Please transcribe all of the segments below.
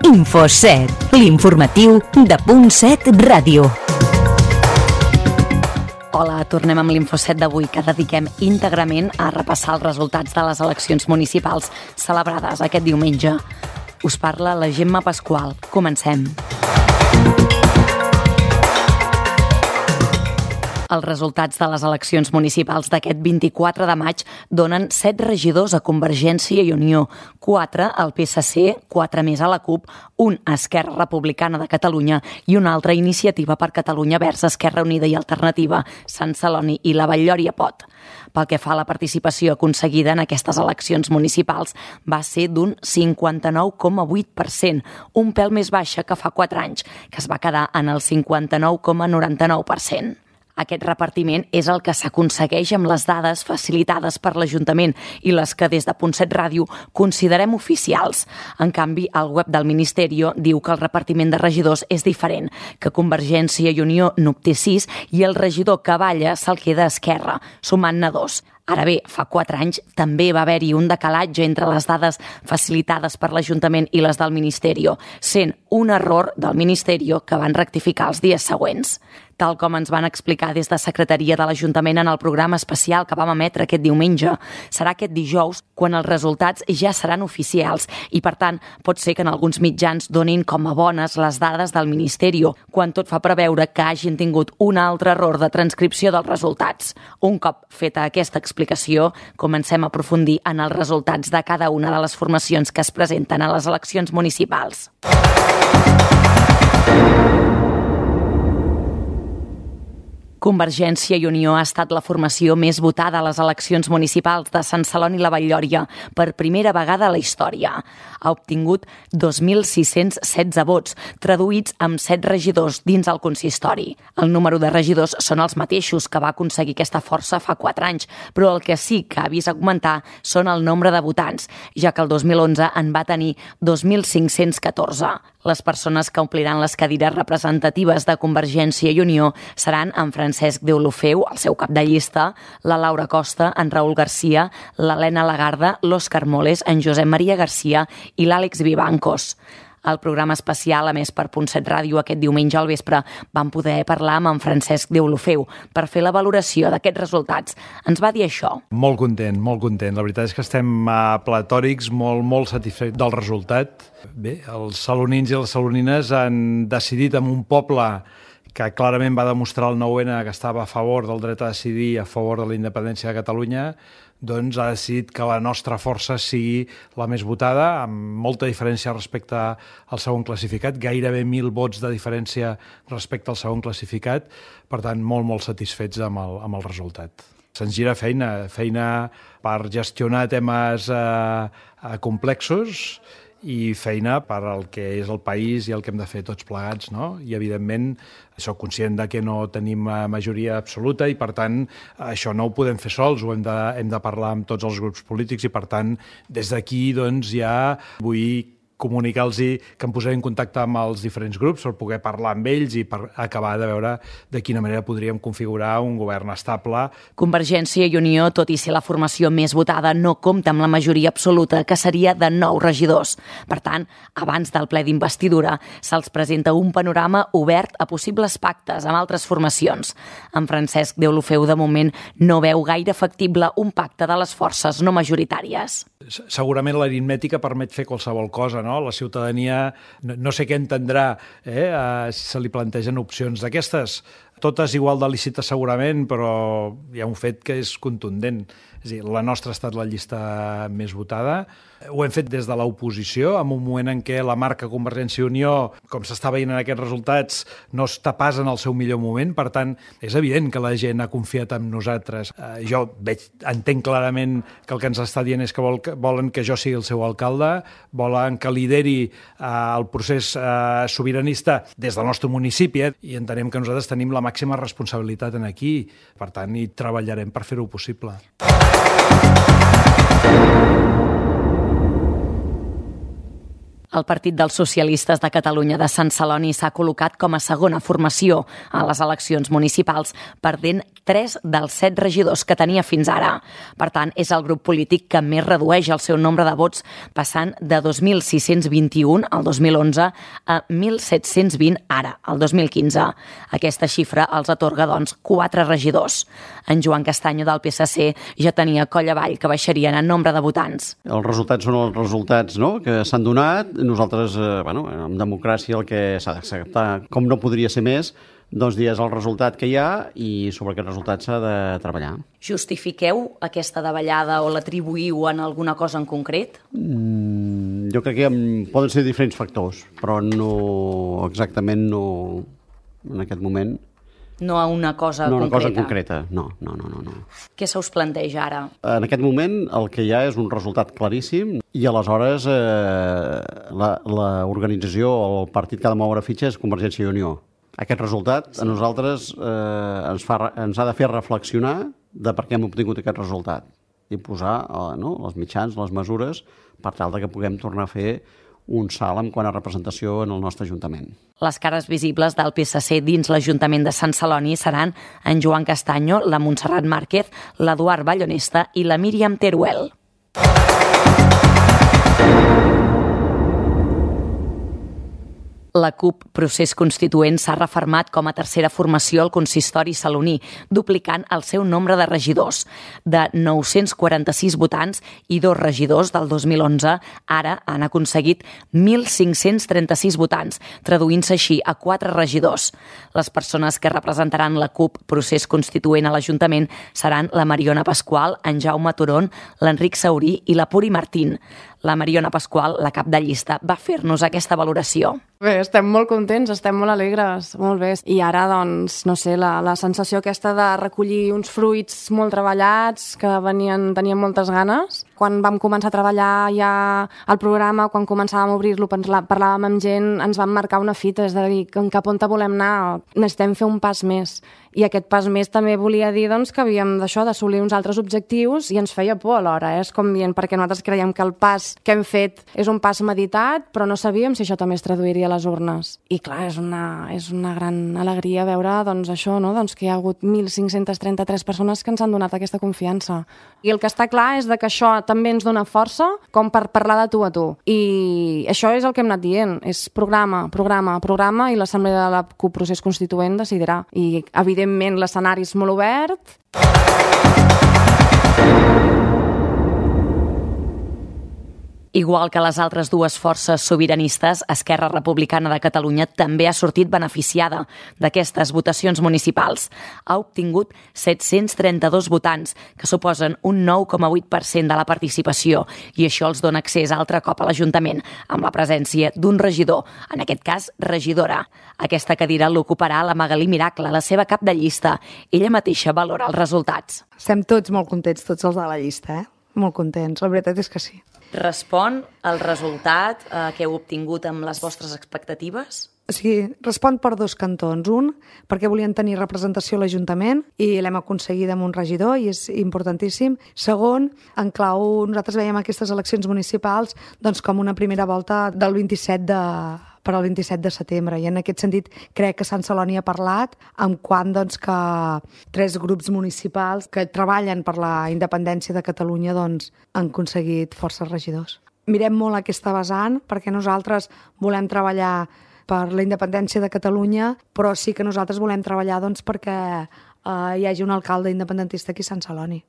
Info7, l'informatiu de Punt 7 Ràdio. Hola, tornem amb l'Info7 d'avui, que dediquem íntegrament a repassar els resultats de les eleccions municipals celebrades aquest diumenge. Us parla la Gemma Pasqual. Comencem. Els resultats de les eleccions municipals d'aquest 24 de maig donen 7 regidors a Convergència i Unió, 4 al PSC, 4 més a la CUP, 1 a Esquerra Republicana de Catalunya i una altra Iniciativa per Catalunya Verds, Esquerra Unida i Alternativa, Sant Celoni i la Vall-lloria Pot. Pel que fa a la participació aconseguida en aquestes eleccions municipals va ser d'un 59,8%, un pèl més baixa que fa 4 anys, que es va quedar en el 59,99%. Aquest repartiment és el que s'aconsegueix amb les dades facilitades per l'Ajuntament i les que des de Punt 7 Ràdio considerem oficials. En canvi, el web del Ministeri diu que el repartiment de regidors és diferent, que Convergència i Unió n'obté 6 i el regidor Cavalla se'l queda a Esquerra, sumant-ne 2. Ara bé, fa 4 anys també va haver-hi un decalatge entre les dades facilitades per l'Ajuntament i les del Ministeri, sent un error del Ministeri que van rectificar els dies següents. Tal com ens van explicar des de Secretaria de l'Ajuntament en el programa especial que vam emetre aquest diumenge, serà aquest dijous quan els resultats ja seran oficials i, per tant, pot ser que en alguns mitjans donin com a bones les dades del Ministeri, quan tot fa preveure que hagin tingut un altre error de transcripció dels resultats. Un cop feta aquesta explicació, comencem a aprofundir en els resultats de cada una de les formacions que es presenten a les eleccions municipals. Convergència i Unió ha estat la formació més votada a les eleccions municipals de Sant Celoni i la Vall-lloria per primera vegada a la història. Ha obtingut 2.616 vots, traduïts amb 7 regidors dins el consistori. El número de regidors són els mateixos que va aconseguir aquesta força fa 4 anys, però el que sí que ha vist augmentar són el nombre de votants, ja que el 2011 en va tenir 2.514. Les persones que ompliran les cadires representatives de Convergència i Unió seran en Francesc Deulofeu, el seu cap de llista, la Laura Costa, en Raül Garcia, l'Helena Lagarda, l'Òscar Moles, en Josep Maria Garcia i l'Àlex Vivancos. Al programa especial, a més per Punt 7 Ràdio, aquest diumenge al vespre, vam poder parlar amb en Francesc Deulofeu per fer la valoració d'aquests resultats. Ens va dir això. Molt content, molt content. La veritat és que estem platòrics, molt satisfets del resultat. Bé, els salonins i les salonines han decidit en un poble que clarament va demostrar el 9-N que estava a favor del dret a decidir, a favor de la independència de Catalunya, doncs ha decidit que la nostra força sigui la més votada, amb molta diferència respecte al segon classificat, gairebé 1.000 vots de diferència respecte al segon classificat, per tant, molt satisfets amb el resultat. Se'ns gira feina per gestionar temes complexos i feina per al que és el país i el que hem de fer tots plegats, no? I, evidentment, soc conscient de que no tenim majoria absoluta i, per tant, això no ho podem fer sols, ho hem de parlar amb tots els grups polítics i, per tant, des d'aquí, doncs, ja vull comunicar-los que em posaré en contacte amb els diferents grups per poder parlar amb ells i per acabar de veure de quina manera podríem configurar un govern estable. Convergència i Unió, tot i ser la formació més votada, no compta amb la majoria absoluta, que seria de 9 regidors. Per tant, abans del ple d'investidura, se'ls presenta un panorama obert a possibles pactes amb altres formacions. En Francesc Deulofeu, de moment, no veu gaire factible un pacte de les forces no majoritàries. Segurament l'aritmètica permet fer qualsevol cosa, no? La ciutadania no sé què entendrà si se li plantegen opcions d'aquestes. Totes igual de lícites segurament, però hi ha un fet que és contundent. És a dir, la nostra ha estat la llista més votada. Ho hem fet des de l'oposició, en un moment en què la marca Convergència i Unió, com s'està veient en aquests resultats, no està pas en el seu millor moment. Per tant, és evident que la gent ha confiat en nosaltres. Jo entenc clarament que el que ens està dient és que volen que jo sigui el seu alcalde, volen que lideri el procés sobiranista des del nostre municipi, i entenem que nosaltres tenim la màxima responsabilitat en aquí. Per tant, hi treballarem per fer-ho possible. El Partit dels Socialistes de Catalunya de Sant Celoni s'ha col·locat com a segona formació a les eleccions municipals, perdent 3 dels 7 regidors que tenia fins ara. Per tant, és el grup polític que més redueix el seu nombre de vots, passant de 2.621 al 2011 a 1.720 ara, el 2015. Aquesta xifra els atorga, doncs, 4 regidors. En Joan Castanyo del PSC ja tenia coll avall que baixarien en nombre de votants. Els resultats són els resultats, no?, que s'han donat. Nosaltres, en democràcia el que s'ha d'acceptar, com no podria ser més, doncs és el resultat que hi ha i sobre aquest resultat s'ha de treballar. Justifiqueu aquesta davallada o l'atribuïu en alguna cosa en concret? Jo crec que poden ser diferents factors, però no exactament en aquest moment. No a una cosa concreta? No, una cosa concreta, no. Què se us planteja ara? En aquest moment el que hi ha és un resultat claríssim i aleshores l'organització o el partit que ha de moure fitxa és Convergència i Unió. Aquest resultat a nosaltres ens ha de fer reflexionar de per què hem obtingut aquest resultat i posar els mitjans, les mesures, per tal que puguem tornar a fer un salt en quant a representació en el nostre Ajuntament. Les cares visibles del PSC dins l'Ajuntament de Sant Celoni seran en Joan Castanyo, la Montserrat Márquez, l'Eduard Ballonesta i la Míriam Teruel. La CUP Procés Constituent s'ha refermat com a tercera formació al consistori saloní, duplicant el seu nombre de regidors. De 946 votants i 2 regidors del 2011, ara han aconseguit 1.536 votants, traduint-se així a 4 regidors. Les persones que representaran la CUP Procés Constituent a l'Ajuntament seran la Mariona Pasqual, en Jaume Turon, l'Enric Saurí i la Puri Martín. La Mariona Pasqual, la cap de llista, va fer-nos aquesta valoració. Bé, estem molt contents, estem molt alegres, molt bé. I ara, doncs, no sé, la sensació aquesta de recollir uns fruits molt treballats, que tenien moltes ganes. Quan vam començar a treballar ja el programa, quan començàvem a obrir-lo, parlàvem amb gent, ens vam marcar una fita, és a dir, cap on volem anar, necessitem fer un pas més. I aquest pas més també volia dir doncs, que havíem d'assolir uns altres objectius i ens feia por alhora, és com dient, perquè nosaltres creiem que el pas que hem fet és un pas meditat, però no sabíem si això també es traduiria a les urnes. I clar, és una gran alegria veure doncs, això, no? Doncs que hi ha hagut 1.533 persones que ens han donat aquesta confiança. I el que està clar és que això també ens dona força com per parlar de tu a tu. I això és el que hem anat dient, és programa, i l'Assemblea de la CUP Procés Constituent decidirà. I evidentment l'escenari és molt obert. Igual que les altres dues forces sobiranistes, Esquerra Republicana de Catalunya també ha sortit beneficiada d'aquestes votacions municipals. Ha obtingut 732 votants, que suposen un 9,8% de la participació, i això els dona accés altre cop a l'Ajuntament, amb la presència d'un regidor, en aquest cas regidora. Aquesta cadira l'ocuparà la Magalí Miracle, la seva cap de llista. Ella mateixa valora els resultats. Estem tots molt contents, tots els de la llista, Molt contents, la veritat és que sí. Respon el resultat que heu obtingut amb les vostres expectatives? O sigui, respon per 2 cantons. Un, perquè volien tenir representació a l'Ajuntament i l'hem aconseguit amb un regidor i és importantíssim. Segon, en clau, nosaltres veiem aquestes eleccions municipals doncs, com una primera volta del 27 per al 27 de setembre. I en aquest sentit crec que Sant Celoni ha parlat amb quant doncs, que 3 grups municipals que treballen per la independència de Catalunya doncs, han aconseguit força regidors. Mirem molt aquesta vessant perquè nosaltres volem treballar per la independència de Catalunya, però sí que nosaltres volem treballar doncs, perquè hi hagi un alcalde independentista aquí a Sant Celoni.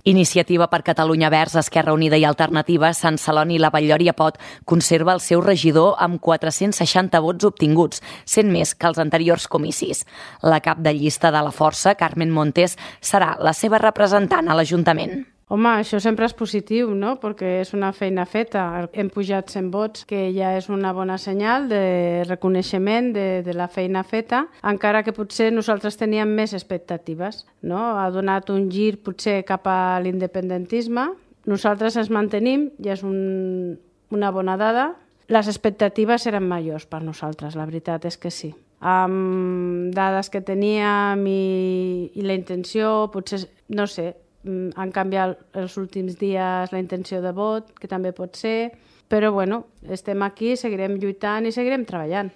Iniciativa per Catalunya Verds, Esquerra Unida i Alternativa, Sant Celoni i la Vall-llor i Apot conserva el seu regidor amb 460 vots obtinguts, 100 més que els anteriors comicis. La cap de llista de la força, Carmen Montes, serà la seva representant a l'Ajuntament. Home, això sempre és positiu, no? Perquè és una feina feta. Hem pujat 100 vots, que ja és una bona senyal de reconeixement de la feina feta, encara que potser nosaltres teníem més expectatives, no? Ha donat un gir potser cap a l'independentisme. Nosaltres ens mantenim, ja és una bona dada. Les expectatives eren majors per nosaltres, la veritat és que sí. Amb dades que teníem i la intenció, potser, no sé, han canviat els últims dies la intenció de vot, que també pot ser, però bueno, estem aquí, seguirem lluitant i seguirem treballant.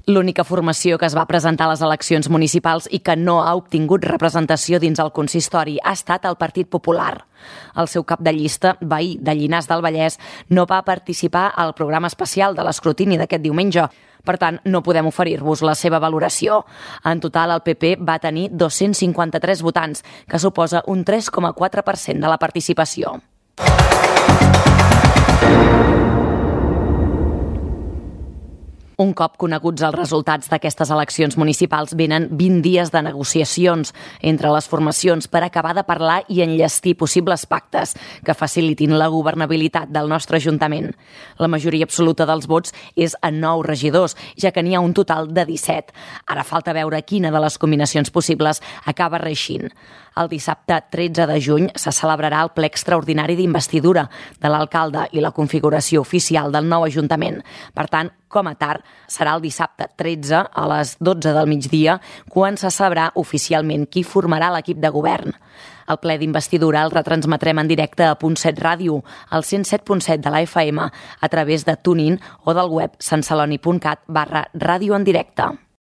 L'única formació que es va presentar a les eleccions municipals i que no ha obtingut representació dins el consistori ha estat el Partit Popular. El seu cap de llista, veí de Llinars del Vallès, no va participar al programa especial de l'escrutini d'aquest diumenge. Per tant, no podem oferir-vos la seva valoració. En total, el PP va tenir 253 votants, que suposa un 3,4% de la participació. Un cop coneguts els resultats d'aquestes eleccions municipals, venen 20 dies de negociacions entre les formacions per acabar de parlar i enllestir possibles pactes que facilitin la governabilitat del nostre Ajuntament. La majoria absoluta dels vots és a 9 regidors, ja que n'hi ha un total de 17. Ara falta veure quina de les combinacions possibles acaba reeixint. El dissabte 13 de juny se celebrarà el ple extraordinari d'investidura de l'alcalde i la configuració oficial del nou Ajuntament. Per tant, com a tard, serà el dissabte 13 a les 12 del migdia quan se sabrà oficialment qui formarà l'equip de govern. El ple d'investidura el retransmetrem en directe a .7 Ràdio, al 107.7 de la FM, a través de TuneIn o del web santceloni.cat/ràdio en directe.